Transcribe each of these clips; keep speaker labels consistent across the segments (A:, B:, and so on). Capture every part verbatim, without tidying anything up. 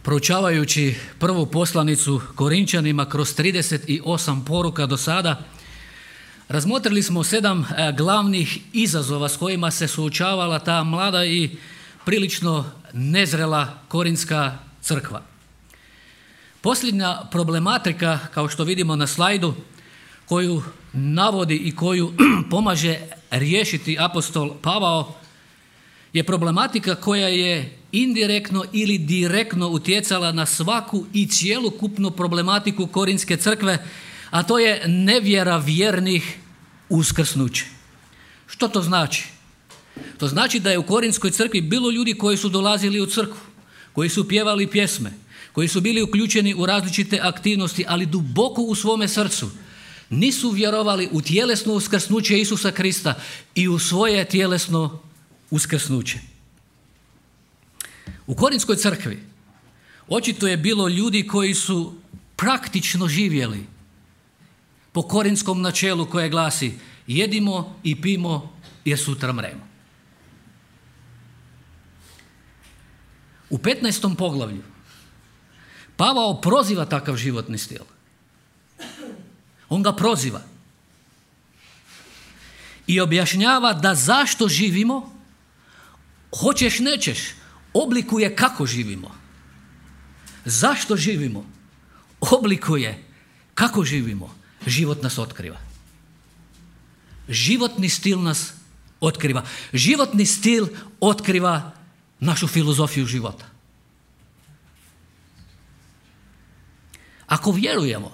A: Proučavajući prvu poslanicu Korinčanima kroz trideset osam poruka do sada, razmotrili smo sedam glavnih izazova s kojima se suočavala ta mlada i prilično nezrela korinska crkva. Posljednja problematika, kao što vidimo na slajdu, koju navodi i koju pomaže riješiti apostol Pavao, je problematika koja je indirektno ili direktno utjecala na svaku i cjelokupnu problematiku korinske crkve, a to je nevjera vjernih uskrsnuće. Što to znači? To znači da je u korinskoj crkvi bilo ljudi koji su dolazili u crkvu, koji su pjevali pjesme, koji su bili uključeni u različite aktivnosti, ali duboko u svome srcu nisu vjerovali u tjelesno uskrsnuće Isusa Krista i u svoje tjelesno uskrsnuće. U korinskoj crkvi očito je bilo ljudi koji su praktično živjeli po korinskom načelu koje glasi: jedimo i pimo jer sutra mremo. U petnaestom poglavlju Pavao proziva takav životni stil. On ga proziva i objašnjava da zašto živimo, hoćeš nećeš, oblikuje kako živimo. Zašto živimo? Oblikuje kako živimo. Život nas otkriva. Životni stil nas otkriva. Životni stil otkriva našu filozofiju života. Ako vjerujemo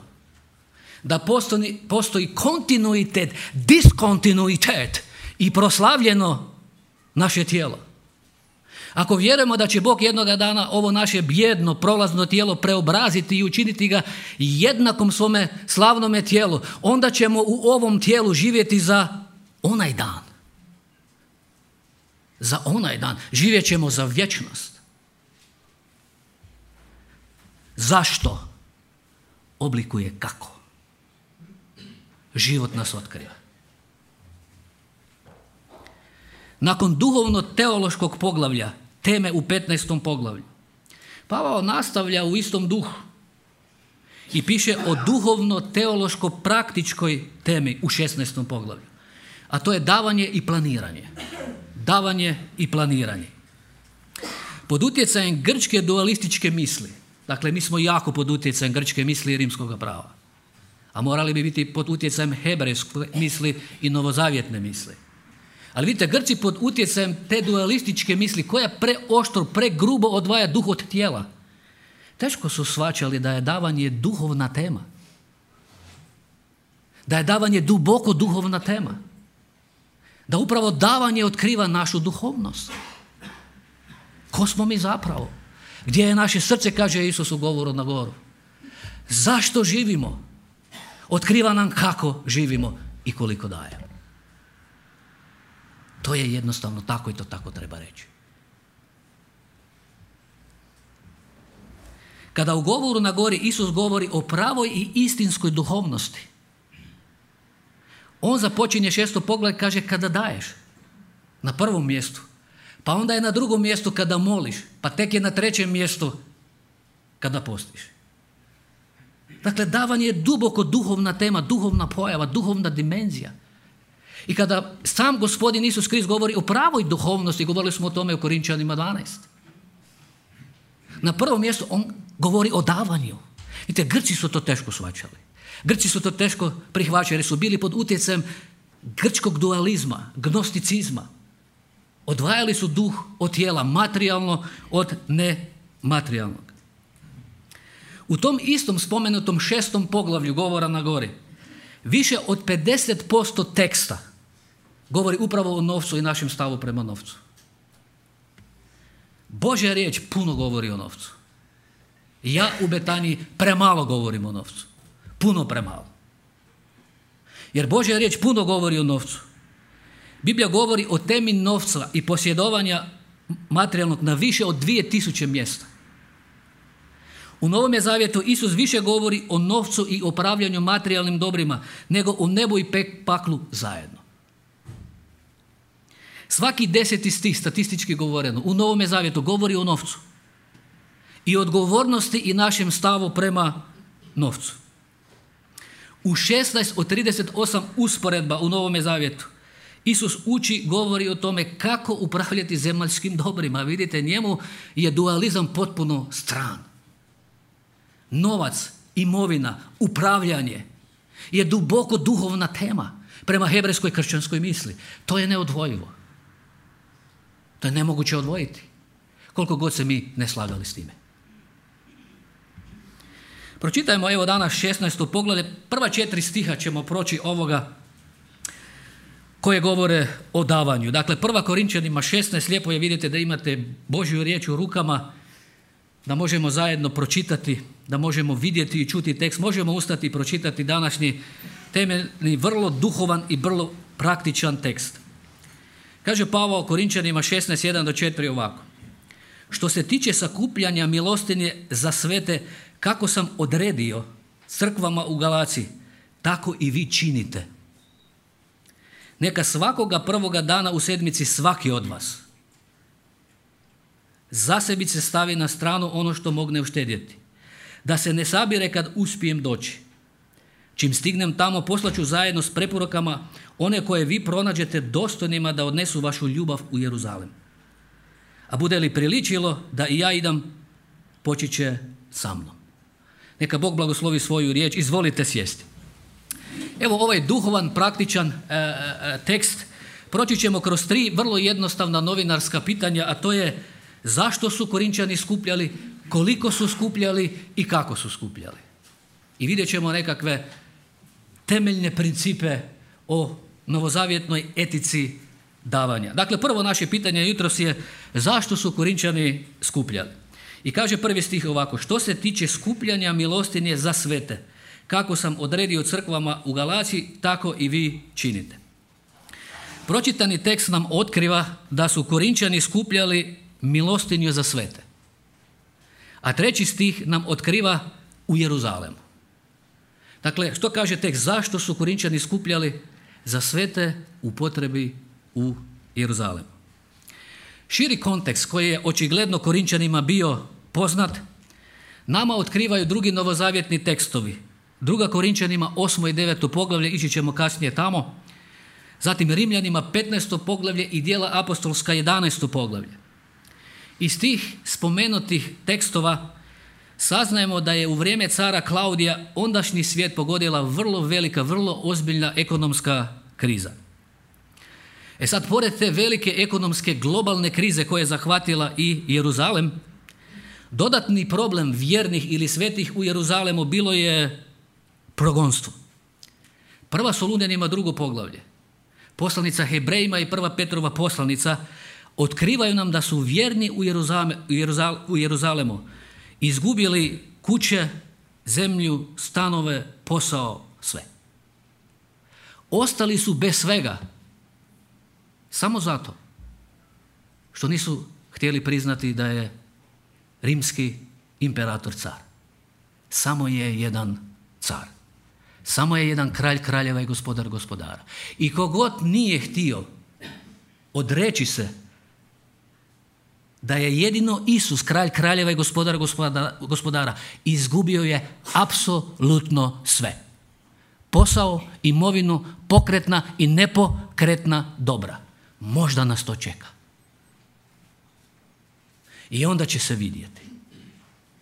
A: da postoji, postoji kontinuitet, diskontinuitet i proslavljeno naše tijelo, ako vjerujemo da će Bog jednoga dana ovo naše bijedno, prolazno tijelo preobraziti i učiniti ga jednakom svome slavnome tijelu, onda ćemo u ovom tijelu živjeti za onaj dan. Za onaj dan. Živjet ćemo za vječnost. Zašto? Oblikuje kako. Život nas otkriva. Nakon duhovno-teološkog poglavlja, teme u petnaestom poglavlju, Pavao nastavlja u istom duhu i piše o duhovno-teološko-praktičkoj temi u šesnaestom poglavlju, a to je davanje i planiranje. Davanje i planiranje. Pod utjecajem grčke dualističke misli, dakle mi smo jako pod utjecajem grčke misli i rimskog prava, a morali bi biti pod utjecajem hebrejske misli i novozavjetne misli. Ali vidite, Grci pod utjecajem te dualističke misli, koja preoštro, pregrubo odvaja duh od tijela, teško su shvaćali da je davanje duhovna tema. Da je davanje duboko duhovna tema. Da upravo davanje otkriva našu duhovnost. Ko smo mi zapravo? Gdje je naše srce, kaže Isus u govoru na goru. Zašto živimo? Otkriva nam kako živimo i koliko dajemo. To je jednostavno tako i to tako treba reći. Kada u govoru na gori Isus govori o pravoj i istinskoj duhovnosti, on započinje šesto pogled, kaže kada daješ, na prvom mjestu, pa onda je na drugom mjestu kada moliš, pa tek je na trećem mjestu kada postiš. Dakle, davanje je duboko duhovna tema, duhovna pojava, duhovna dimenzija. I kada sam Gospodin Isus Krist govori o pravoj duhovnosti, govorili smo o tome u Korinčanima dvanaest. Na prvom mjestu on govori o davanju. Vidite, Grci su to teško shvaćali. Grci su to teško prihvaćali jer su bili pod utjecajem grčkog dualizma, gnosticizma. Odvajali su duh od tijela, materijalno od nematerijalnog. U tom istom spomenutom šestom poglavlju govora na gori, više od pedeset posto teksta govori upravo o novcu i našem stavu prema novcu. Božja riječ puno govori o novcu. Ja u Betaniji premalo govorim o novcu. Puno premalo. Jer Božja riječ puno govori o novcu. Biblija govori o temi novca i posjedovanja materijalnog na više od dvije tisuće mjesta. U Novome zavjetu Isus više govori o novcu i upravljanju materijalnim dobrima nego o nebu i paklu zajedno. Svaki deseti stih, statistički govoreno, u Novome zavjetu govori o novcu. i odgovornosti i našem stavu prema novcu. U šesnaest od trideset osam usporedba u Novome Zavjetu Isus uči, govori o tome kako upravljati zemaljskim dobrima. Vidite, njemu je dualizam potpuno stran. Novac, imovina, upravljanje je duboko duhovna tema prema hebrejskoj kršćanskoj misli. To je neodvojivo. To je nemoguće odvojiti, koliko god se mi ne slagali s time. Pročitajmo evo danas šesnaesto poglavlje. Prva četiri stiha ćemo proći ovoga koje govore o davanju. Dakle, prva Korinčanima šesnaest, lijepo je, vidite da imate Božju riječ u rukama, da možemo zajedno pročitati, da možemo vidjeti i čuti tekst, možemo ustati i pročitati današnji temeljni, vrlo duhovan i vrlo praktičan tekst. Kaže Pavao Korinčanima šesnaest, jedan do četiri ovako. Što se tiče sakupljanja milostinje za svete, kako sam odredio crkvama u Galaciji, tako i vi činite. Neka svakoga prvoga dana u sedmici svaki od vas zasebice stavi na stranu ono što mogne uštedjeti, da se ne sabire kad uspijem doći. Čim stignem tamo, poslaću zajedno s preporukama one koje vi pronađete dostojnima da odnesu vašu ljubav u Jeruzalem. A bude li priličilo da i ja idem, poći će sa mnom. Neka Bog blagoslovi svoju riječ. Izvolite sjesti. Evo ovaj duhovan, praktičan e, e, tekst. Proći ćemo kroz tri vrlo jednostavna novinarska pitanja, a to je zašto su Korinčani skupljali, koliko su skupljali i kako su skupljali. I vidjet ćemo nekakve temeljne principe o novozavjetnoj etici davanja. Dakle, prvo naše pitanje jutros je zašto su Korinčani skupljali. I kaže prvi stih ovako, što se tiče skupljanja milostinje za svete, kako sam odredio crkvama u Galaciji, tako i vi činite. Pročitani tekst nam otkriva da su Korinčani skupljali milostinju za svete. A treći stih nam otkriva u Jeruzalemu. Dakle, što kaže tekst? Zašto su Korinčani skupljali za svete u potrebi u Jeruzalemu? Širi kontekst koji je očigledno Korinčanima bio poznat, nama otkrivaju drugi novozavjetni tekstovi. Druga Korinčanima osmo i deveto poglavlje, ići ćemo kasnije tamo. Zatim Rimljanima petnaesto poglavlje i Djela apostolska jedanaesto poglavlje. Iz tih spomenutih tekstova saznajemo da je u vrijeme cara Klaudija ondašnji svijet pogodila vrlo velika, vrlo ozbiljna ekonomska kriza. E sad, pored te velike ekonomske globalne krize koja je zahvatila i Jeruzalem, dodatni problem vjernih ili svetih u Jeruzalemu bilo je progonstvo. Prva Solunjanima drugo poglavlje, poslanica Hebrejima i prva Petrova poslanica otkrivaju nam da su vjerni u, Jeruzale, u, Jeruzale, u Jeruzalemu izgubili kuće, zemlju, stanove, posao, sve. Ostali su bez svega samo zato što nisu htjeli priznati da je rimski imperator car. Samo je jedan car. Samo je jedan kralj kraljeva i gospodar gospodara. I kogod nije htio odreći se da je jedino Isus kralj kraljeva i gospodar gospodara, gospodara, izgubio je apsolutno sve. Posao, imovinu, pokretna i nepokretna dobra. Možda nas to čeka. I onda će se vidjeti.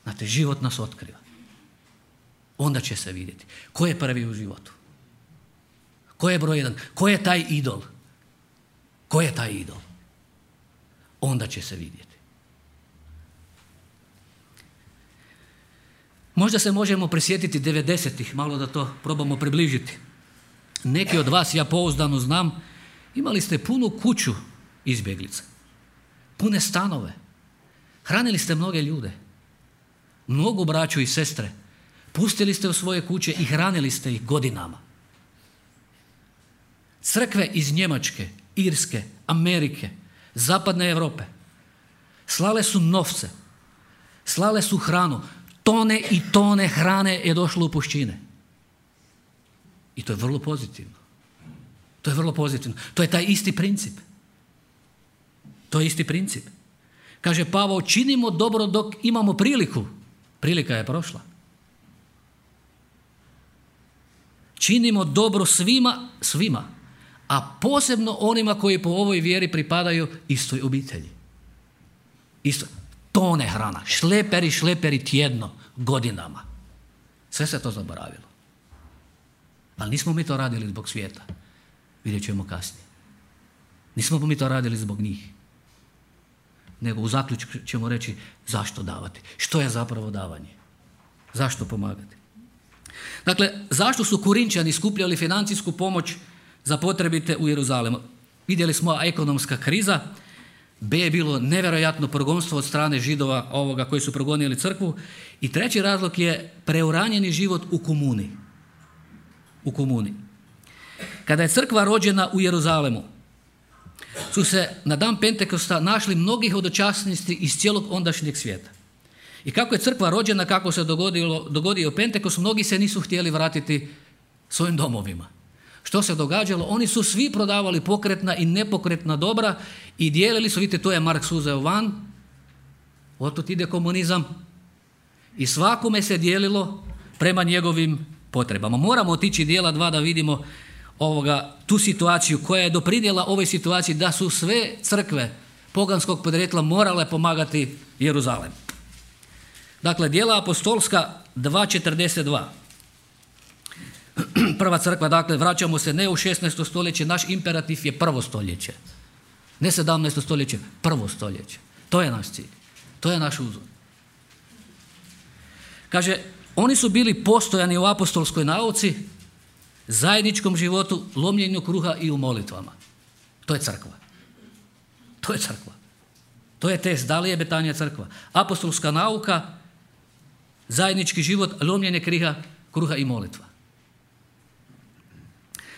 A: Znate, život nas otkriva. Onda će se vidjeti. Ko je prvi u životu? Ko je broj jedan? Ko je taj idol? Ko je taj idol? Onda će se vidjeti. Možda se možemo prisjetiti devedesetih, malo da to probamo približiti. Neki od vas, ja pouzdano znam, imali ste punu kuću izbjeglica, pune stanove, hranili ste mnoge ljude, mnogu braću i sestre, pustili ste u svoje kuće i hranili ste ih godinama. Crkve iz Njemačke, Irske, Amerike, Zapadne Europe slale su novce, slale su hranu, tone i tone hrane je došlo u puščine. I to je vrlo pozitivno. To je vrlo pozitivno. To je taj isti princip. To je isti princip. Kaže Pavao, činimo dobro dok imamo priliku. Prilika je prošla. Činimo dobro svima, svima, a posebno onima koji po ovoj vjeri pripadaju istoj obitelji. Isto, tone hrana, šleperi, šleperi tjedno, godinama. Sve se to zaboravilo. Ali nismo mi to radili zbog svijeta. Vidjet ćemo kasnije. Nismo mi to radili zbog njih. Nego u zaključku ćemo reći zašto davati. Što je zapravo davanje? Zašto pomagati? Dakle, zašto su Korinčani skupljali financijsku pomoć za potrebite u Jeruzalemu? Vidjeli smo ekonomska kriza, B je bilo nevjerojatno progonstvo od strane Židova ovoga koji su progonili crkvu i treći razlog je preuranjeni život u komuni. U komuni. Kada je crkva rođena u Jeruzalemu, su se na dan Pentekosta našli mnogi hodočasnici iz cijelog ondašnjeg svijeta. I kako je crkva rođena, kako se dogodilo, dogodio Pentekost, mnogi se nisu htjeli vratiti svojim domovima. Što se događalo? Oni su svi prodavali pokretna i nepokretna dobra i dijelili su, vidite, to je Marks uzeo van, otud ide komunizam i svakome se dijelilo prema njegovim potrebama. Moramo otići dijela dva da vidimo ovoga, tu situaciju koja je doprinijela ovoj situaciji da su sve crkve poganskog podrijetla morale pomagati Jeruzalemu. Dakle, dijela apostolska dva četrdeset dva. Prva crkva, dakle, vraćamo se ne u šesnaesto stoljeće, naš imperativ je prvo stoljeće. Ne sedamnaesto stoljeće, prvo stoljeće. To je naš cilj. To je naš uzor. Kaže, oni su bili postojani u apostolskoj nauci, zajedničkom životu, lomljenju kruha i u molitvama. To je crkva. To je crkva. To je test, da li je Betanija crkva. Apostolska nauka, zajednički život, lomljenje kriha, kruha i molitva.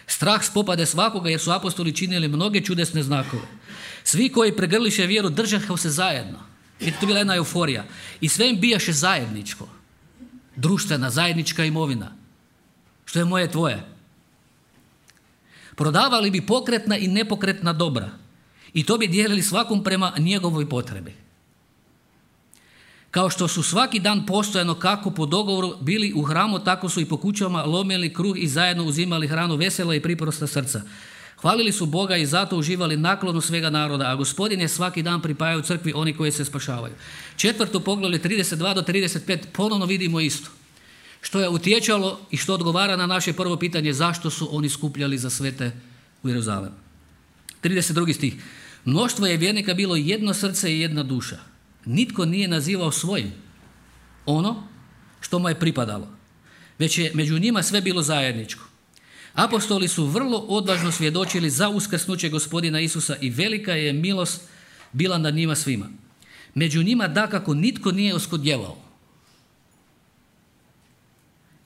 A: Strah spopade svakoga jer su apostoli činili mnoge čudesne znakove. Svi koji pregrliše vjeru držahu se zajedno. I to bila jedna euforija. I sve im bijaše zajedničko. Društvena, zajednička imovina. Što je moje tvoje. Prodavali bi pokretna i nepokretna dobra. I to bi dijelili svakom prema njegovoj potrebi. Kao što su svaki dan postojano kako po dogovoru bili u hramu, tako su i po kućama lomili kruh i zajedno uzimali hranu vesela i priprosta srca. Hvalili su Boga i zato uživali naklonu svega naroda, a Gospodin je svaki dan pripajao u crkvi oni koji se spašavaju. Četvrto poglavlje trideset dva do trideset pet ponovno vidimo isto. Što je utječalo i što odgovara na naše prvo pitanje zašto su oni skupljali za svete u Jeruzalemu. trideset drugi stih. Mnoštvo je vjernika bilo jedno srce i jedna duša. Nitko nije nazivao svojim ono što mu je pripadalo, već je među njima sve bilo zajedničko. Apostoli su vrlo odvažno svjedočili za uskrsnuće Gospodina Isusa i velika je milost bila nad njima svima. Među njima dakako nitko nije oskodjevao,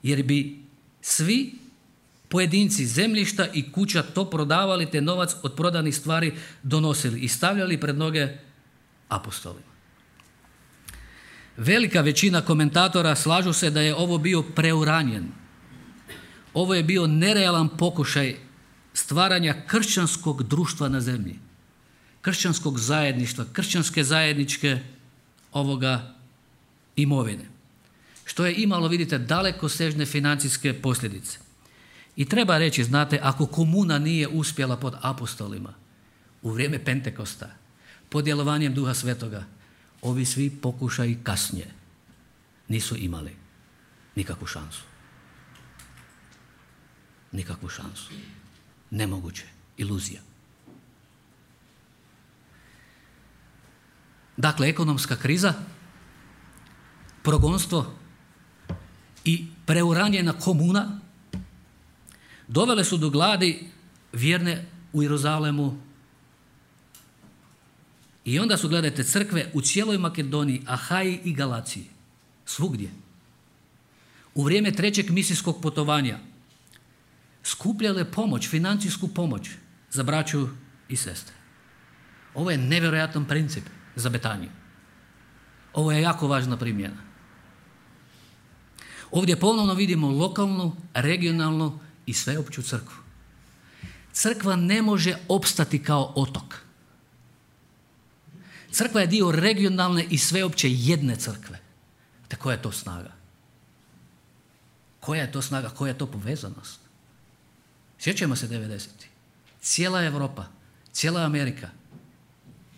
A: jer bi svi pojedinci zemljišta i kuća to prodavali te novac od prodanih stvari donosili i stavljali pred noge apostolima. Velika većina komentatora slažu se da je ovo bio preuranjen. Ovo je bio nerealan pokušaj stvaranja kršćanskog društva na zemlji. Kršćanskog zajedništva, kršćanske zajedničke ovoga imovine. Što je imalo, vidite, dalekosežne financijske posljedice. I treba reći, znate, ako komuna nije uspjela pod apostolima u vrijeme Pentekosta, pod djelovanjem Duha Svetoga, ovi svi pokušaji kasnije nisu imali nikakvu šansu. Nikakvu šansu. Nemoguće. Iluzija. Dakle, ekonomska kriza, progonstvo i preuranjena komuna dovele su do gladi vjerne u Jeruzalemu. I onda su, gledajte, crkve u cijeloj Makedoniji, Ahaji i Galaciji, svugdje, u vrijeme trećeg misijskog putovanja, skupljale pomoć, financijsku pomoć za braću i sestre. Ovo je nevjerojatan princip za Betaniju. Ovo je jako važna primjena. Ovdje ponovno vidimo lokalnu, regionalnu i sveopću crkvu. Crkva ne može opstati kao otok. Crkva je dio regionalne i sveopće jedne crkve. Te koja je to snaga? Koja je to snaga? Koja je to povezanost? Sjećamo se devedesetih. Cijela Europa, cijela Amerika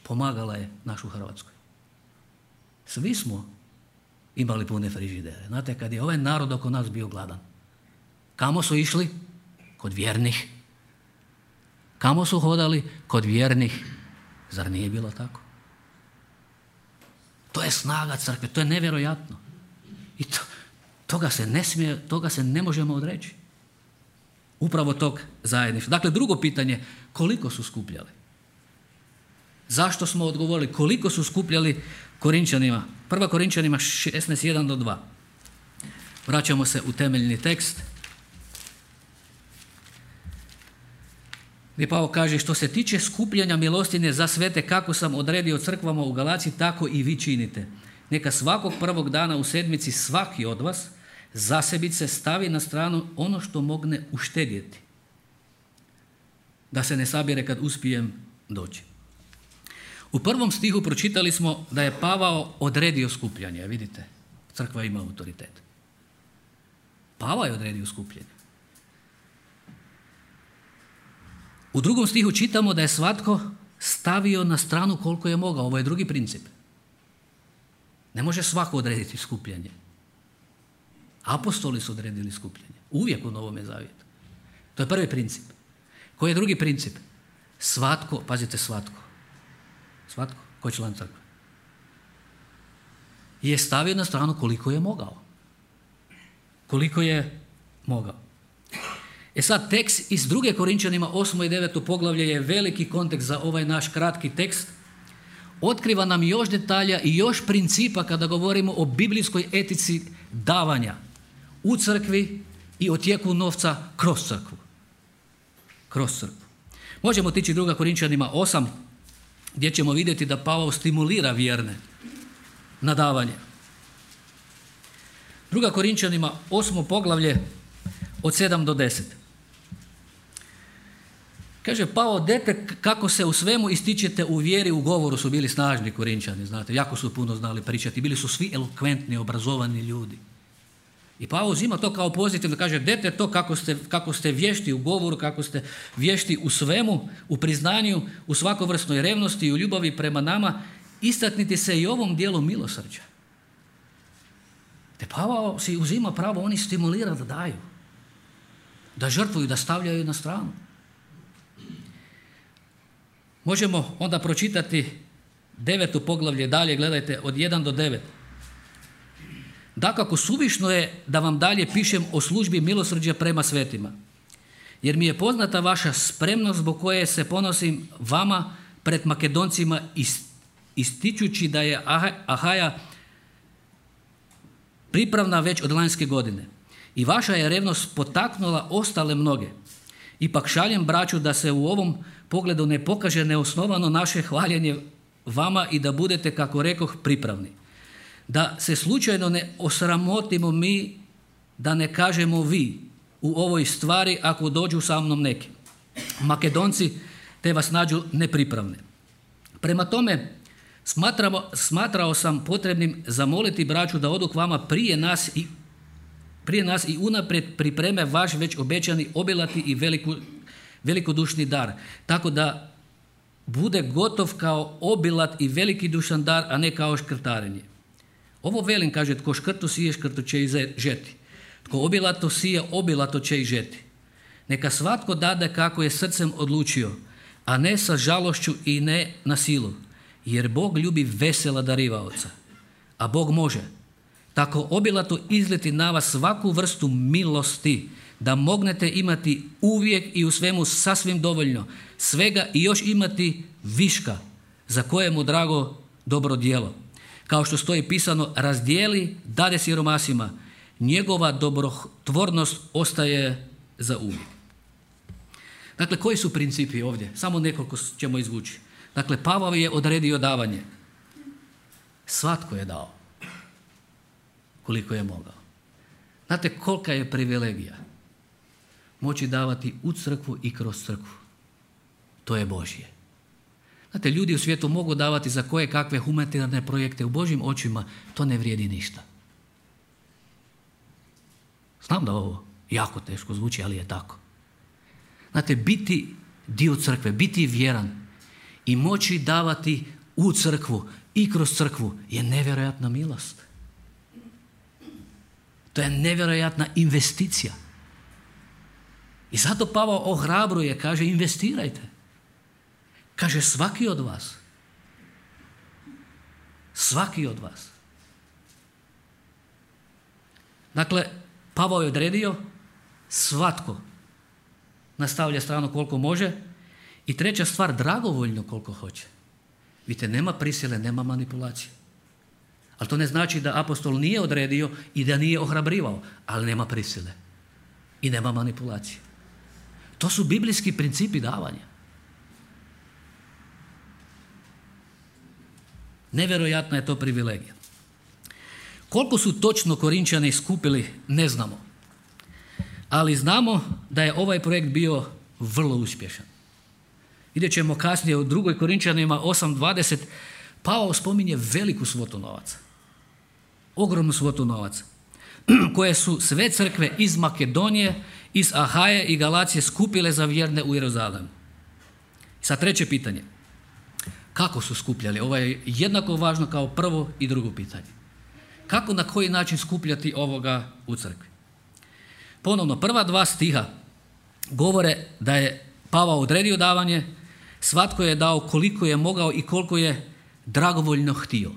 A: pomagala je našu Hrvatskoj. Svi smo imali pune frižidere. Znate, kad je ovaj narod oko nas bio gladan, kamo su išli? Kod vjernih. Kamo su hodali? Kod vjernih. Zar nije bilo tako? To je snaga crkve, to je nevjerojatno. I to, toga se ne smije, toga se ne možemo odreći. Upravo tog zajedništva. Dakle, drugo pitanje, koliko su skupljali? Zašto smo odgovorili? Koliko su skupljali Korinčanima? Prva Korinčanima šesnaest, jedan do dva. Vraćamo se u temeljni tekst. Gdje Pavao kaže, što se tiče skupljanja milostinje za svete, kako sam odredio crkvama u Galaciji, tako i vi činite. Neka svakog prvog dana u sedmici svaki od vas zasebice stavi na stranu ono što mogne uštedjeti, da se ne sabire kad uspijem doći. U prvom stihu pročitali smo da je Pavao odredio skupljanje. Vidite, crkva ima autoritet. Pavao je odredio skupljanje. U drugom stihu čitamo da je svatko stavio na stranu koliko je mogao. Ovo je drugi princip. Ne može svako odrediti skupljanje. Apostoli su odredili skupljanje. Uvijek u Novome zavjetu. To je prvi princip. Koji je drugi princip? Svatko, pazite svatko. Svatko, koji je član crkve, je stavio na stranu koliko je mogao. Koliko je mogao. E sad, tekst iz druge Korinčanima osmo i deveto poglavlje je veliki kontekst za ovaj naš kratki tekst. Otkriva nam još detalja i još principa kada govorimo o biblijskoj etici davanja u crkvi i o tijeku novca kroz crkvu. Kroz crkvu. Možemo otići druga Korinčanima osam, gdje ćemo vidjeti da Pavao stimulira vjerne na davanje. Druga Korinčanima osmo poglavlje od sedam do deset. Kaže Pavao, dete kako se u svemu ističete u vjeri, u govoru su bili snažni Korinčani, znate, jako su puno znali pričati, bili su svi elokventni, obrazovani ljudi. I Pavao uzima to kao pozitivno, kaže, dete to kako ste, kako ste vješti u govoru, kako ste vješti u svemu, u priznanju, u svakovrsnoj revnosti i u ljubavi prema nama, istakniti se i ovom dijelu milosrđa. Te Pavao si uzima pravo, oni stimulira da daju, da žrtvuju, da stavljaju na stranu. Možemo onda pročitati deveto poglavlje dalje, gledajte, od jedan do devet. Dakako, suvišno je da vam dalje pišem o službi milosrđa prema svetima, jer mi je poznata vaša spremnost zbog koje se ponosim vama pred Makedoncima ističući da je Ahaja pripravna već od lanjske godine. I vaša je revnost potaknula ostale mnoge. Ipak šaljem braću da se u ovom pogledu ne pokaže neosnovano naše hvaljenje vama i da budete, kako rekoh, pripravni. Da se slučajno ne osramotimo mi, da ne kažemo vi u ovoj stvari ako dođu sa mnom neki Makedonci te vas nađu nepripravne. Prema tome, smatramo, smatrao sam potrebnim zamoliti braću da odu k vama prije nas i prije nas i unaprijed pripreme vaš već obećani obilati i veliku, velikodušni dar, tako da bude gotov kao obilat i veliki dušan dar, a ne kao škrtarenje. Ovo velim, kaže, tko škrtu sije, škrtu će i žeti. Tko obilato sije, obilato će i žeti. Neka svatko dade kako je srcem odlučio, a ne sa žalošću i ne na silu, jer Bog ljubi vesela darivaoca, a Bog može tako obilato izliti na vas svaku vrstu milosti, da mognete imati uvijek i u svemu sasvim dovoljno, svega i još imati viška, za kojemu drago dobro djelo. Kao što stoji pisano, razdijeli, dade siromasima, njegova dobrotvornost ostaje za uvijek. Dakle, koji su principi ovdje? Samo nekoliko ćemo izvući. Dakle, Pavao je odredio davanje. Svatko je dao koliko je mogao. Znate kolika je privilegija moći davati u crkvu i kroz crkvu. To je Božje. Znate, ljudi u svijetu mogu davati za koje kakve humanitarne projekte, u Božjim očima to ne vrijedi ništa. Znam da ovo jako teško zvuči, ali je tako. Znate, biti dio crkve, biti vjeran i moći davati u crkvu i kroz crkvu je nevjerojatna milost. To je nevjerojatna investicija. I zato Pavao ohrabruje, kaže investirajte. Kaže svaki od vas. Svaki od vas. Dakle, Pavao je odredio svatko nastavlja stranu koliko može i treća stvar, dragovoljno koliko hoće. Vidite, nema prisile, nema manipulacije. Ali to ne znači da apostol nije odredio i da nije ohrabrivao, ali nema prisile i nema manipulacije. To su biblijski principi davanja. Nevjerojatna je to privilegija. Koliko su točno Korinčani skupili, ne znamo. Ali znamo da je ovaj projekt bio vrlo uspješan. Vidjet ćemo kasnije u drugoj Korinčanima osam dvadeset, Pavao spominje veliku svotu novaca. Ogromnu svotu novaca. Koje su sve crkve iz Makedonije, iz Ahaje i Galacije skupile za vjerne u Jeruzalemu. Sad treće pitanje. Kako su skupljali? Ovo je jednako važno kao prvo i drugo pitanje. Kako, na koji način skupljati ovoga u crkvi? Ponovno, prva dva stiha govore da je Pavao odredio davanje, svatko je dao koliko je mogao i koliko je dragovoljno htio.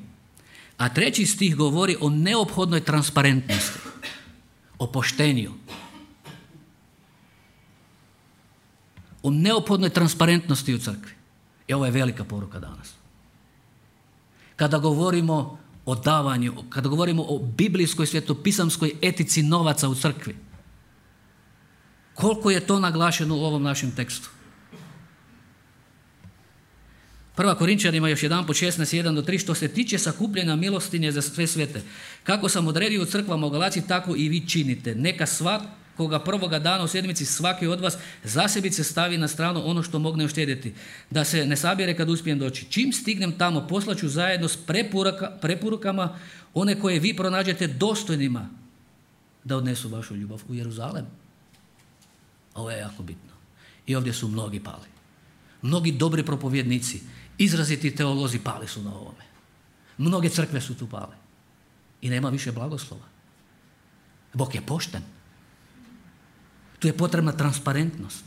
A: A treći stih govori o neophodnoj transparentnosti, o poštenju. O neophodnoj transparentnosti u crkvi. I ovo je velika poruka danas. Kada govorimo o davanju, kada govorimo o biblijskoj svjetopisamskoj etici novaca u crkvi, koliko je to naglašeno u ovom našem tekstu? Prva Korinčanima još jedanput šesnaest jedan do tri, što se tiče sakupljanja milostinje za sve svete. Kako sam odredio u crkvama u Galaciji, tako i vi činite. Neka svakoga prvoga dana u sedmici svaki od vas zasebice stavi na stranu ono što mogne uštedjeti, da se ne sabire kad uspijem doći. Čim stignem tamo, poslaću zajedno s preporuka, preporukama one koje vi pronađete dostojnima da odnesu vašu ljubav u Jeruzalem. Ovo je jako bitno. I ovdje su mnogi pali. Mnogi dobri propovjednici, izraziti teolozi pali su na ovome. Mnoge crkve su tu pale. I nema više blagoslova. Bog je pošten. Tu je potrebna transparentnost.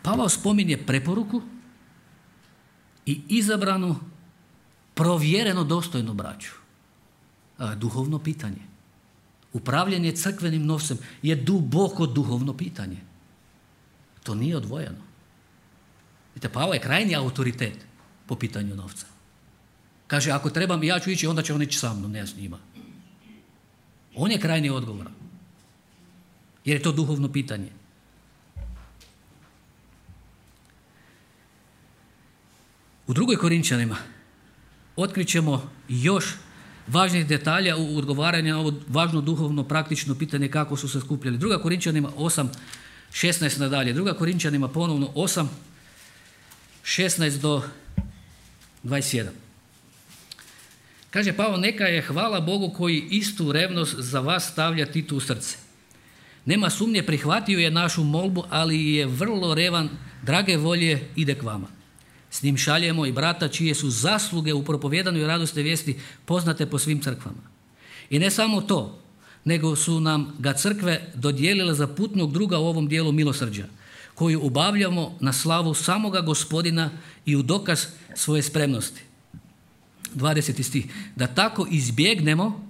A: Pavao spominje preporuku i izabranu, provjereno dostojnu braću. Duhovno pitanje. Upravljanje crkvenim novcem je duboko duhovno pitanje. To nije odvojeno. Vidite, Pavao je krajnji autoritet po pitanju novca. Kaže, ako trebam ja ću ići, onda će on ići sa mnom, ne s njima. On je krajnji odgovor. Jer je to duhovno pitanje. U drugoj Korinčanima otkrićemo još važnih detalja u odgovaranju na ovo važno duhovno praktično pitanje kako su se skupljali. Druga Korinčanima osam šesnaest nadalje. Druga Korinčanima ponovno osam šesnaest do dvadeset jedan. Kaže Pavao, neka je hvala Bogu koji istu revnost za vas stavlja Titu u srce. Nema sumnje, prihvatio je našu molbu, ali je vrlo revan, drage volje ide k vama. S njim šaljemo i brata čije su zasluge u propovjedanju i radosne vijesti poznate po svim crkvama. I ne samo to, nego su nam ga crkve dodijelile za putnog druga u ovom dijelu milosrđa, koju obavljamo na slavu samoga Gospodina i u dokaz svoje spremnosti. dvadeseti stih. Da tako izbjegnemo,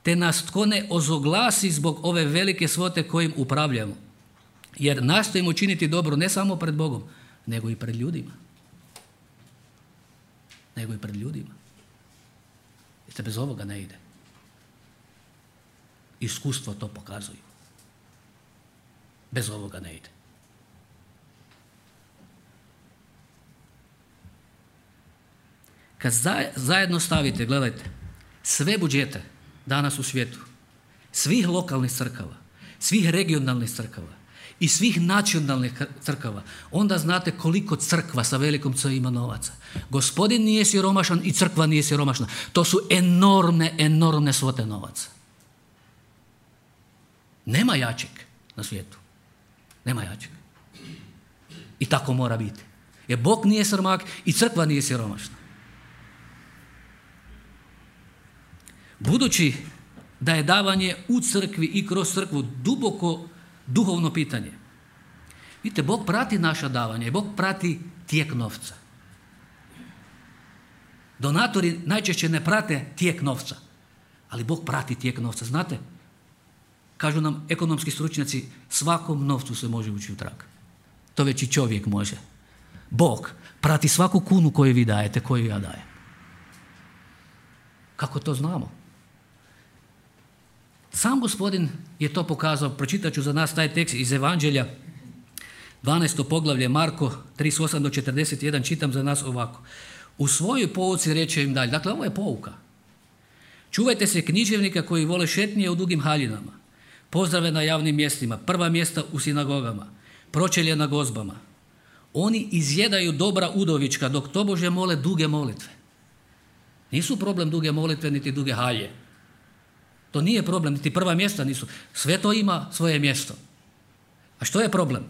A: te nas tko ne ozoglasi zbog ove velike svote kojim upravljamo. Jer nastojimo činiti dobro ne samo pred Bogom, nego i pred ljudima. Nego i pred ljudima. Jer bez ovoga ne ide. Iskustvo to pokazuju. Bez ovoga ne ide. Kad zajedno stavite, gledajte, sve budžete danas u svijetu, svih lokalnih crkava, svih regionalnih crkava i svih nacionalnih crkava, onda znate koliko crkva sa velikom C ima novaca. Gospodin nije siromašan i crkva nije siromašna. To su enormne, enormne svote novaca. Nema jačeg na svijetu. Nema jačeg. I tako mora biti. Jer Bog nije siromah i crkva nije siromašna. Budući da je davanje u crkvi i kroz crkvu duboko duhovno pitanje. Vidite, Bog prati naša davanja i Bog prati tijek novca. Donatori najčešće ne prate tijek novca, ali Bog prati tijek novca. Znate, kažu nam ekonomski stručnjaci, svakom novcu se može ući u trag. To već i čovjek može. Bog prati svaku kunu koju vi dajete, koju ja dajem. Kako to znamo? Sam Gospodin je to pokazao. Pročitat ću za nas taj tekst iz Evanđelja, dvanaesto poglavlje, Marko trideset osam do četrdeset jedan, čitam za nas ovako. U svojoj pouci reče im dalje. Dakle, ovo je pouka. Čuvajte se književnika koji vole šetnje u dugim haljinama, pozdrave na javnim mjestima, prva mjesta u sinagogama, pročelje na gozbama. Oni izjedaju dobra udovička dok tobože mole duge molitve. Nisu problem duge molitve niti duge halje. To nije problem, niti prva mjesta nisu. Sve to ima svoje mjesto. A što je problem?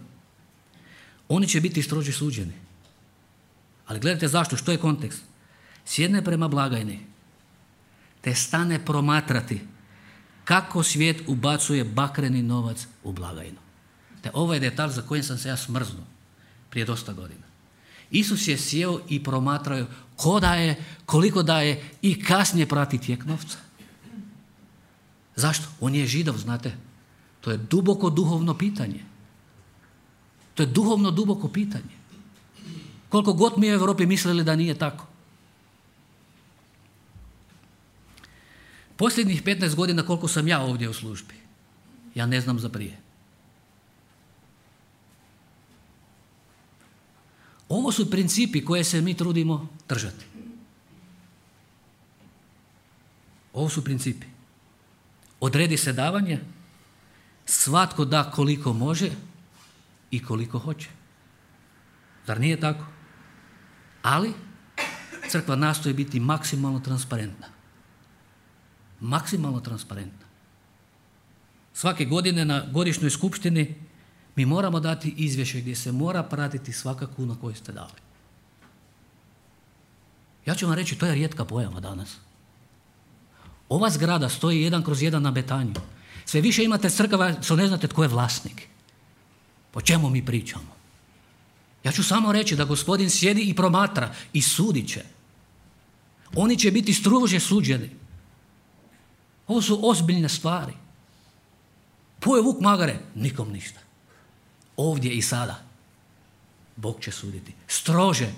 A: Oni će biti strože suđeni. Ali gledajte zašto, što je kontekst? Sjedne prema blagajni, te stane promatrati kako svijet ubacuje bakreni novac u blagajnu. Te ovo je detalj za kojim sam se ja smrznuo prije dosta godina. Isus je sjeo i promatrao ko daje, koliko daje i kasnije prati tijek novca. Zašto? On je Židov, znate. To je duboko duhovno pitanje. To je duhovno duboko pitanje. Koliko god mi u Europi mislili da nije tako. Posljednjih petnaest godina koliko sam ja ovdje u službi, ja ne znam za prije. Ovo su principi koje se mi trudimo držati. Ovo su principi. Odredi se davanje, svatko da koliko može i koliko hoće. Zar nije tako? Ali crkva nastoji biti maksimalno transparentna. Maksimalno transparentna. Svake godine na godišnjoj skupštini mi moramo dati izvješće gdje se mora pratiti svaka kuna koju ste dali. Ja ću vam reći, to je rijetka pojava danas. Ova zgrada stoji jedan kroz jedan na Betanju. Sve više imate crkava što ne znate tko je vlasnik. O čemu mi pričamo? Ja ću samo reći da Gospodin sjedi i promatra i sudit će. Oni će biti strože suđeni. Ovo su ozbiljne stvari. Poje vuk magare, nikom ništa. Ovdje i sada Bog će suditi. Strože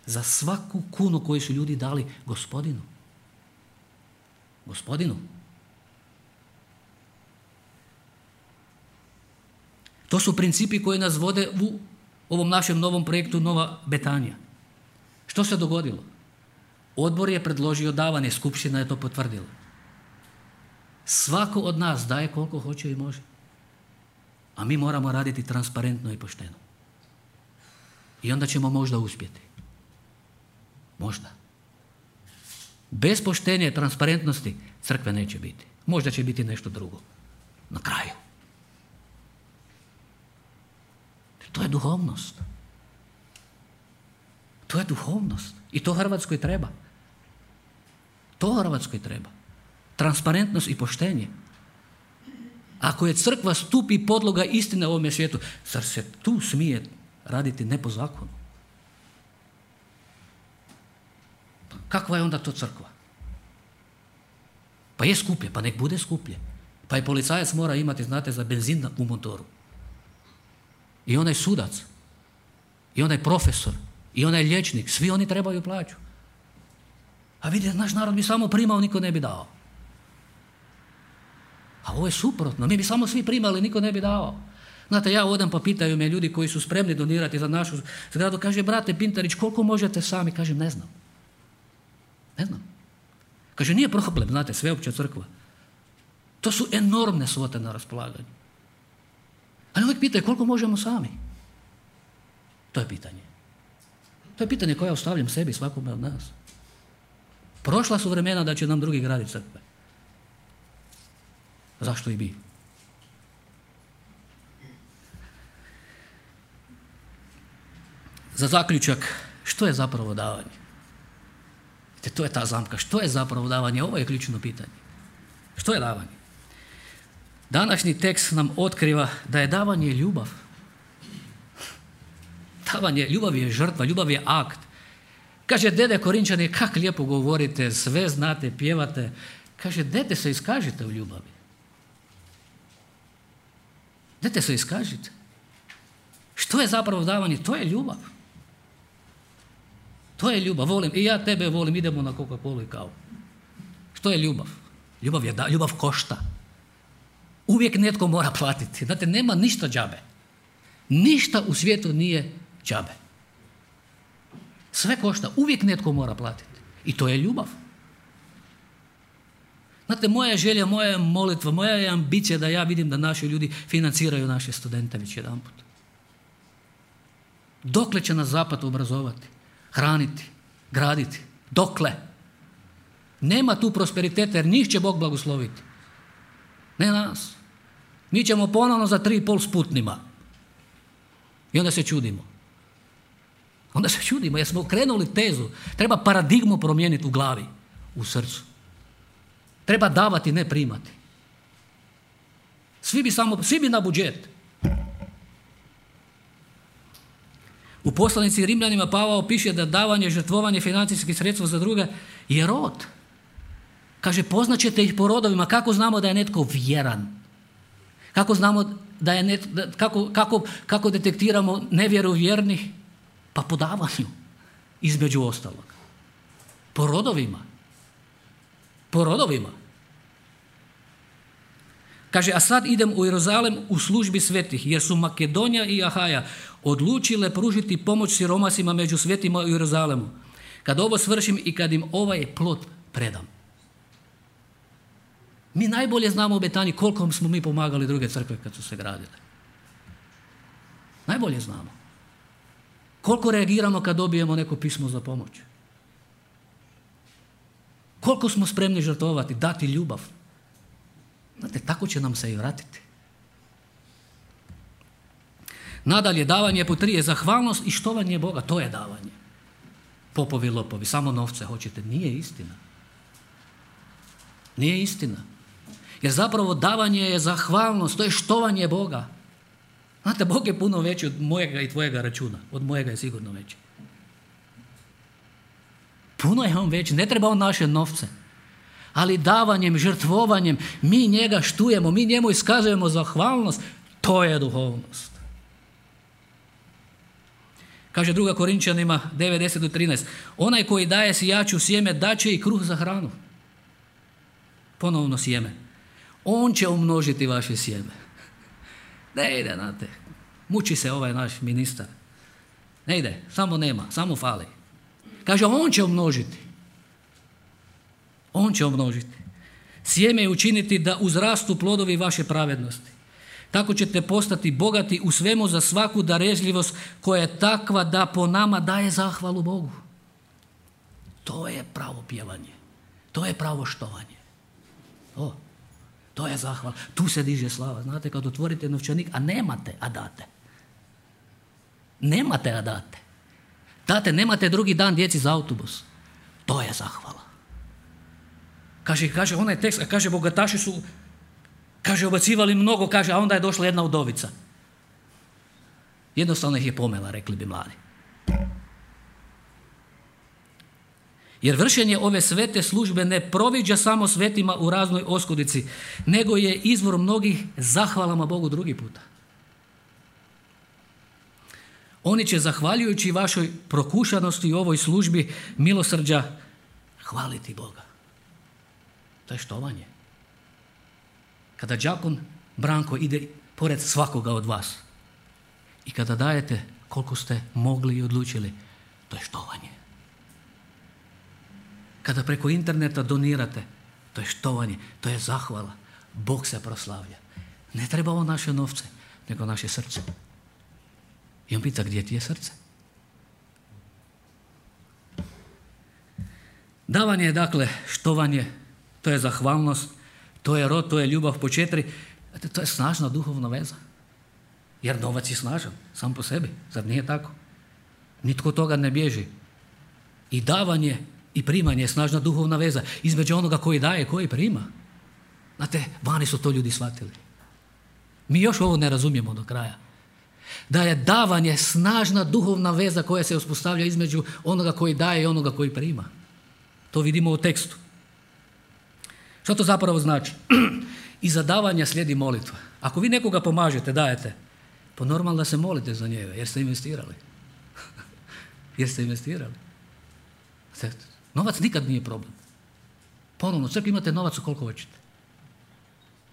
A: za svaku kunu koju su ljudi dali Gospodinu. Gospodinu. To su principi koji nas vode u ovom našem novom projektu Nova Betanija. Što se dogodilo? Odbor je predložio davanje, skupština je to potvrdila. Svako od nas daje koliko hoće i može. A mi moramo raditi transparentno i pošteno. I onda ćemo možda uspjeti. Možda. Bez poštenja i transparentnosti crkve neće biti. Možda će biti nešto drugo. Na kraju. To je duhovnost. To je duhovnost. I to Hrvatskoj treba. To Hrvatskoj treba. Transparentnost i poštenje. Ako je crkva stup i podloga istine u ovome svijetu, zar se tu smije raditi ne po zakonu? Pa kakva je onda to crkva? Pa je skuplje, pa nek bude skuplje. Pa i policajac mora imati, znate, za benzin u motoru. I onaj sudac, i onaj profesor, i onaj liječnik, svi oni trebaju plaću. A vidite, naš narod bi samo primao, niko ne bi dao. A ovo je suprotno, mi bi samo svi primali, niko ne bi dao. Znate, ja odem pa pitaju me ljudi koji su spremni donirati za našu zgradu, kaže, brate Pintarić, koliko možete sami? Kažem, ne znam. Ne znam. Kaže, nije problem, znate, sveopća crkva. To su enormne svote na raspolaganju. Ali uvijek pitaju koliko možemo sami. To je pitanje. To je pitanje koje ostavljam sebi, svakome od nas. Prošla su vremena da će nam drugi graditi crkve. Zašto i bi? Za zaključak, što je zapravo davanje? To je ta zamka. Što je zapravo davanje? Ovo je ključno pitanje. Što je davanje? Današnji tekst nam otkriva da je davanje ljubav. Davanje, ljubav je žrtva, ljubav je akt. Kaže, dede Korinčani, kak lijepo govorite, sve znate, pjevate. Kaže, dete se iskažite u ljubavi. Dete se iskažite. Što je zapravo davanje? To je ljubav. To je ljubav. Volim, i ja tebe volim, idemo na Coca-Colu i kavu. Što je ljubav? Ljubav je da, ljubav košta. Uvijek netko mora platiti. Znate, nema ništa džabe. Ništa u svijetu nije džabe. Sve košta. Uvijek netko mora platiti. I to je ljubav. Znate, moja je želja, moja je molitva, moja je ambicija da ja vidim da naši ljudi financiraju naše studente već jedan put. Dokle će nas zapad obrazovati, hraniti, graditi? Dokle? Nema tu prosperiteta jer njih će Bog blagosloviti. Ne nas. Mi ćemo ponovno za tri i pol sputnima. I onda se čudimo. Onda se čudimo jer smo krenuli tezu. Treba paradigmu promijeniti u glavi, u srcu. Treba davati, ne primati. Svi bi, samo, svi bi na budžet. U poslanici Rimljanima Pavao piše da davanje, žrtvovanje financijskih sredstva za druge je rod. Kaže, poznaćete ih po rodovima. Kako znamo da je netko vjeran? Kako znamo da je net, da, kako, kako, kako detektiramo nevjeru vjernih? Pa po davanju, između ostalog. Po rodovima. Po rodovima. Kaže, a sad idem u Jeruzalem u službi svetih, jer su Makedonija i Ahaja odlučile pružiti pomoć siromasima među svetima u Jeruzalemu. Kad ovo svršim i kad im ovaj plod predam. Mi najbolje znamo u Betaniji koliko smo mi pomagali druge crkve kad su se gradile. Najbolje znamo. Koliko reagiramo kad dobijemo neko pismo za pomoć. Koliko smo spremni žrtvovati, dati ljubav. Znate, tako će nam se i vratiti. Nadalje, davanje po tri je zahvalnost i štovanje Boga. To je davanje. Popovi, lopovi, samo novce hoćete. Nije istina. Nije istina. Jer zapravo davanje je zahvalnost, to je štovanje Boga. Znate, Bog je puno veći od mojega i tvojega računa. Od mojega je sigurno veći. Puno je on veći. Ne treba on naše novce. Ali davanjem, žrtvovanjem, mi njega štujemo, mi njemu iskazujemo zahvalnost. To je duhovnost. Kaže druga Korinčanima devet deset do trinaest. Onaj koji daje sijaču sjeme, daće i kruh za hranu. Ponovno sjeme. On će umnožiti vaše sjeme. Ne ide, znate. Muči se ovaj naš ministar. Ne ide, samo nema, samo fali. Kaže, on će umnožiti. On će umnožiti. Sjeme je učiniti da uzrastu plodovi vaše pravednosti. Tako ćete postati bogati u svemu za svaku darežljivost koja je takva da po nama daje zahvalu Bogu. To je pravo pjevanje. To je pravo štovanje. To, to je zahvala. Tu se diže slava. Znate, kad otvorite novčanik, a nemate, a date. Nemate, a date. Date, nemate drugi dan djeci za autobus. To je zahvala. Kaže, kaže onaj tekst, kaže, bogataši su, kaže, obacivali mnogo, kaže, a onda je došla jedna udovica. Jednostavno ih je pomela, rekli bi mladi. Jer vršenje ove svete službe ne proviđa samo svetima u raznoj oskudici, nego je izvor mnogih zahvalama Bogu drugi puta. Oni će, zahvaljujući vašoj prokušanosti u ovoj službi milosrđa, hvaliti Boga. To je štovanje. Kada đakon Branko ide pored svakoga od vas i kada dajete koliko ste mogli i odlučili, to je štovanje. Kada preko interneta donirate, to je štovanje, to je zahvala. Bog se proslavlja. Ne treba on naše novce. nego naše srce. I on pita, gdje ti je srce? Davanje je dakle štovanje, to je zahvalnost, to je rod, to je ljubav po četiri. To je snažna duhovna veza. Jer novac je snažan, sam po sebi. Zar nije tako? Nitko toga ne bježi. I davanje i primanje je snažna duhovna veza između onoga koji daje i koji prima. Znate, vani su to ljudi shvatili. Mi još ovo ne razumijemo do kraja. Da je davanje snažna duhovna veza koja se uspostavlja između onoga koji daje i onoga koji prima. To vidimo u tekstu. Što to zapravo znači? Iza davanja slijedi molitva. Ako vi nekoga pomažete, dajete, pa normalno da se molite za njega, jer ste investirali. jer ste investirali. Novac nikad nije problem. Ponovno, čak imate novac koliko hoćete.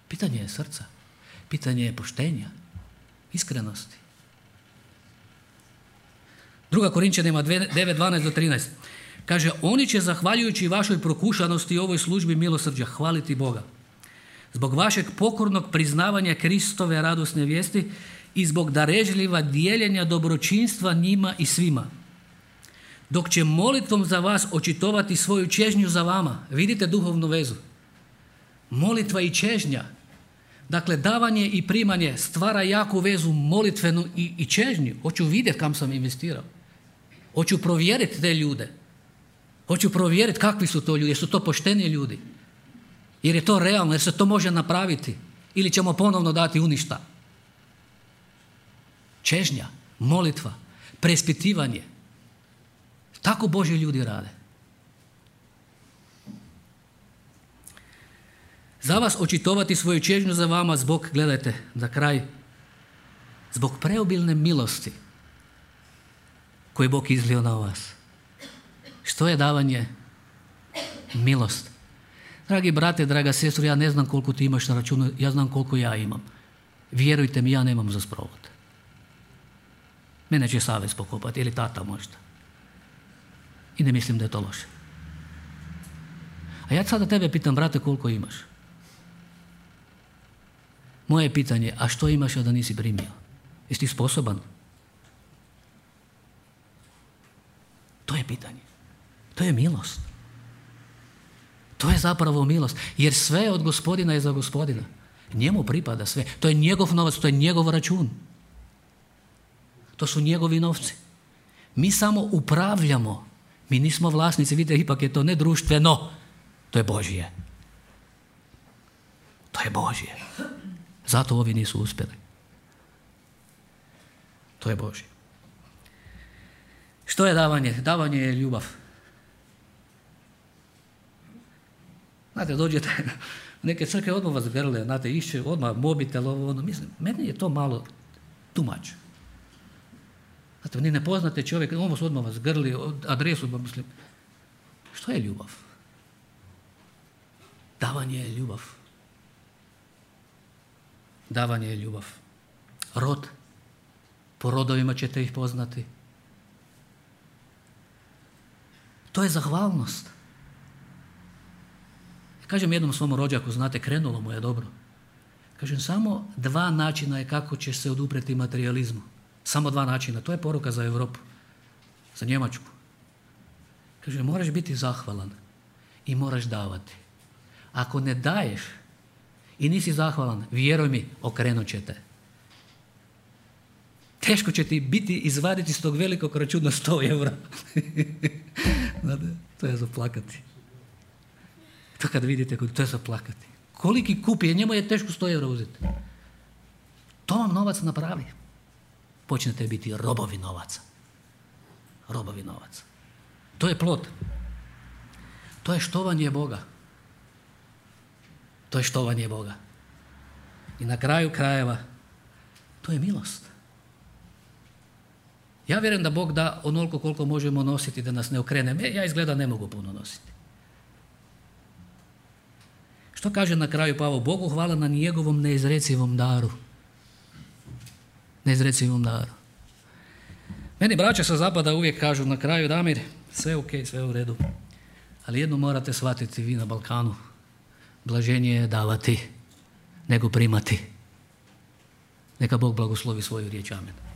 A: Pitanje je srca. Pitanje je poštenja, iskrenosti. Druga Korinčanima devet, dvanaest do trinaest. Kaže, oni će zahvaljujući vašoj prokušanosti i ovoj službi milosrđa hvaliti Boga. Zbog vašeg pokornog priznavanja Kristove radosne vijesti i zbog darežljiva dijeljenja dobročinstva njima i svima. Dok će molitvom za vas očitovati svoju čežnju za vama. Vidite duhovnu vezu. Molitva i čežnja. Dakle, davanje i primanje stvara jaku vezu molitvenu i, i čežnju. Hoću vidjeti kam sam investirao. Hoću provjeriti te ljude. Hoću provjeriti kakvi su to ljudi. Jer su to pošteni ljudi. Jer je to realno, jer se to može napraviti. Ili ćemo ponovno dati u ništa. Čežnja, molitva, preispitivanje. Tako Božji ljudi rade. Za vas očitovati svoju čežnju za vama zbog, gledajte, za kraj, zbog preobilne milosti koju Bog izlio na vas. Što je davanje? Milost. Dragi brate, draga sestro, ja ne znam koliko ti imaš na računu, ja znam koliko ja imam. Vjerujte mi, ja nemam za sprovod. Mene će savez pokopati, ili tata možda. I ne mislim da je to loše. A ja sada tebe pitam, brate, koliko imaš? Moje pitanje, a što imaš a da nisi primio? Jesi ti sposoban? To je pitanje. To je milost. To je zapravo milost. Jer sve od Gospodina je za Gospodina. Njemu pripada sve. To je njegov novac, to je njegov račun. To su njegovi novci. Mi samo upravljamo. Mi nismo vlasnici. Vidite, ipak je to ne društveno. To je Božje. To je Božje. Zato ovi nisu uspjeli. To je Božje. Što je davanje? Davanje je ljubav. Znate, dođete u neke crkve, odmah vas grle, znate, išće odmah mobitel, ovo, ono. Mislim, meni je to malo tumač. Znate, ni ne poznate čovjek, ovo su odmah vas grli, adresu, ba mislim. Što je ljubav? Davanje je ljubav. Davanje je ljubav. Rod. Po rodovima ćete ih poznati. To je zahvalnost. Kažem jednom svom rođaku, znate, krenulo mu je dobro. Kažem, samo dva načina je kako će se odupreti materijalizmu. Samo dva načina. To je poruka za Europu. Za Njemačku. Kažem, moraš biti zahvalan i moraš davati. Ako ne daješ i nisi zahvalan, vjeruj mi, okrenut će te. Teško će ti biti izvaditi s tog velikog računa sto eura. To je za plakati. To kad vidite, to je za plakati. Koliki kupi, njemu je teško sto eura uzeti. To vam novac napravi. Počnete biti robovi novaca. Robovi novaca. To je plod. To je štovanje Boga. To je štovanje Boga. I na kraju krajeva, to je milost. Ja vjerujem da Bog da onoliko koliko možemo nositi da nas ne okrene. Ja izgleda ne mogu puno nositi. Što kaže na kraju Pavao? Bogu hvala na njegovom neizrecivom daru. Neizrecivom daru. Meni braća sa zapada uvijek kažu na kraju, Damir, sve ok, sve u redu. Ali jedno morate shvatiti vi na Balkanu. Blaženije je davati nego primati. Neka Bog blagoslovi svoju riječ. Amen.